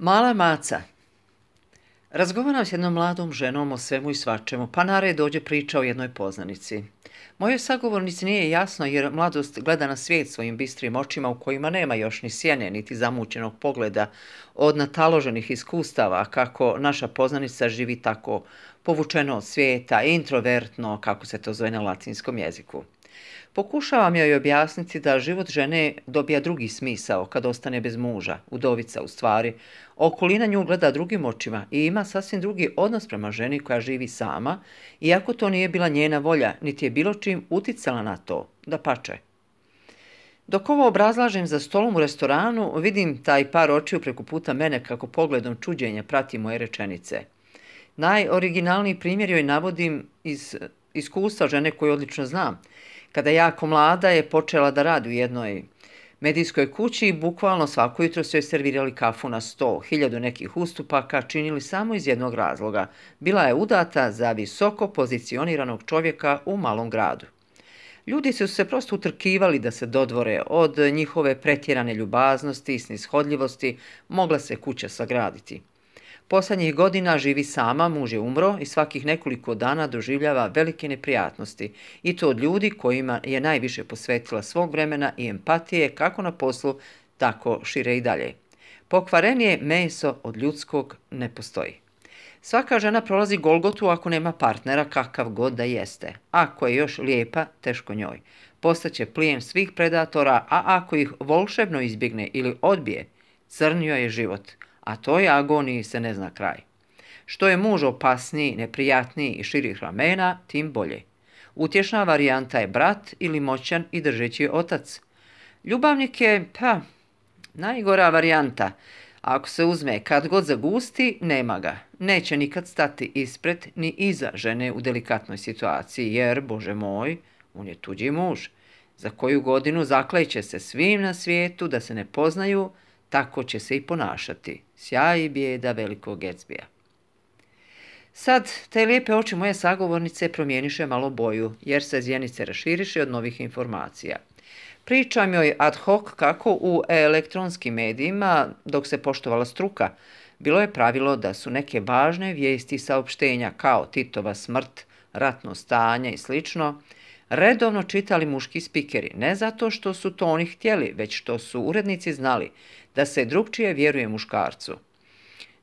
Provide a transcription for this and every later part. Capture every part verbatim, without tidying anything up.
Mala maca. Razgovaram s jednom mladom ženom o svemu i svačemu, pa na red dođe priča o jednoj poznanici. Mojoj sagovornici nije jasno jer mladost gleda na svijet svojim bistrim očima u kojima nema još ni sjene niti zamućenog pogleda od nataloženih iskustava kako naša poznanica živi tako povučeno od svijeta, introvertno, kako se to zove na latinskom jeziku. Pokušavam joj objasniti da život žene dobija drugi smisao kad ostane bez muža, udovica u stvari. Okolina nju gleda drugim očima i ima sasvim drugi odnos prema ženi koja živi sama, iako to nije bila njena volja, niti je bilo čim uticala na to, dapače. Dok ovo obrazlažem za stolom u restoranu, vidim taj par očiju preko puta mene kako pogledom čuđenja prati moje rečenice. Najoriginalniji primjer joj navodim iz iskustva žene koju odlično znam. Kada jako mlada je počela da radi u jednoj medijskoj kući i bukvalno svako jutro su joj servirali kafu na sto, hiljadu nekih ustupaka činili samo iz jednog razloga. Bila je udata za visoko pozicioniranog čovjeka u malom gradu. Ljudi su se prosto utrkivali da se dodvore od njihove pretjerane ljubaznosti i snishodljivosti, mogla se kuća sagraditi. Posljednjih godina živi sama, muž je umro i svakih nekoliko dana doživljava velike neprijatnosti i to od ljudi kojima je najviše posvetila svog vremena i empatije kako na poslu, tako šire i dalje. Pokvarenije meso od ljudskog ne postoji. Svaka žena prolazi golgotu ako nema partnera kakav god da jeste. Ako je još lijepa, teško njoj. Postaće plijen svih predatora, a ako ih volšebno izbjegne ili odbije, crnio je život. A toj agoniji se ne zna kraj. Što je muž opasniji, neprijatniji i širih ramena, tim bolje. Utješna varijanta je brat ili moćan i držeći otac. Ljubavnik je, pa, najgora varijanta. Ako se uzme kad god zagusti, nema ga. Neće nikad stati ispred ni iza žene u delikatnoj situaciji, jer, Bože moj, on je tuđi muž. Za koju godinu zakleće se svim na svijetu da se ne poznaju, tako će se i ponašati. Sjaj i bijeda velikog Gatsbya. Sad, te lijepe oči moje sagovornice promijeniše malo boju, jer se zjenice raširiše od novih informacija. Pričam joj ad hoc kako u elektronskim medijima, dok se poštovala struka, bilo je pravilo da su neke važne vijesti i saopštenja kao Titova smrt, ratno stanje i slično, redovno čitali muški spikeri, ne zato što su to oni htjeli, već što su urednici znali da se drugčije vjeruje muškarcu.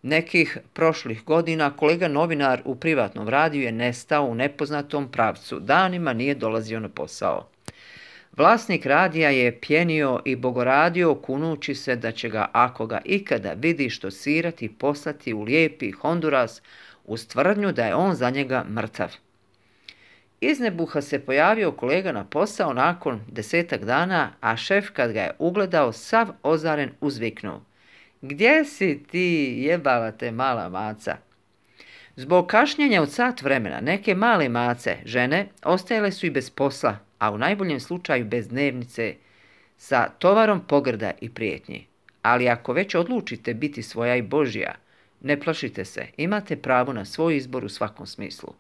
Nekih prošlih godina kolega novinar u privatnom radiju je nestao u nepoznatom pravcu, danima nije dolazio na posao. Vlasnik radija je pjenio i bogoradio kunući se da će ga, ako ga ikada vidi štosirati, poslati u lijepi Honduras uz tvrdnju da je on za njega mrtav. Iz nebuha se pojavio kolega na posao nakon desetak dana, a šef kad ga je ugledao sav ozaren uzviknuo: "Gdje si ti, jebala te mala maca?" Zbog kašnjenja od sat vremena neke male mace, žene, ostajale su i bez posla, a u najboljem slučaju bez dnevnice, sa tovarom pogrda i prijetnji. Ali ako već odlučite biti svoja i Božja, ne plašite se, imate pravo na svoj izbor u svakom smislu.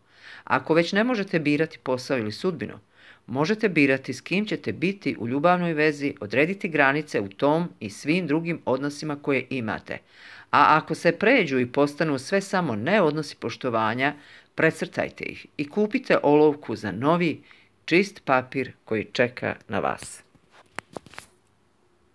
Ako već ne možete birati posao ili sudbinu, možete birati s kim ćete biti u ljubavnoj vezi, odrediti granice u tom i svim drugim odnosima koje imate. A ako se pređu i postanu sve samo ne odnosi poštovanja, precrtajte ih i kupite olovku za novi, čist papir koji čeka na vas.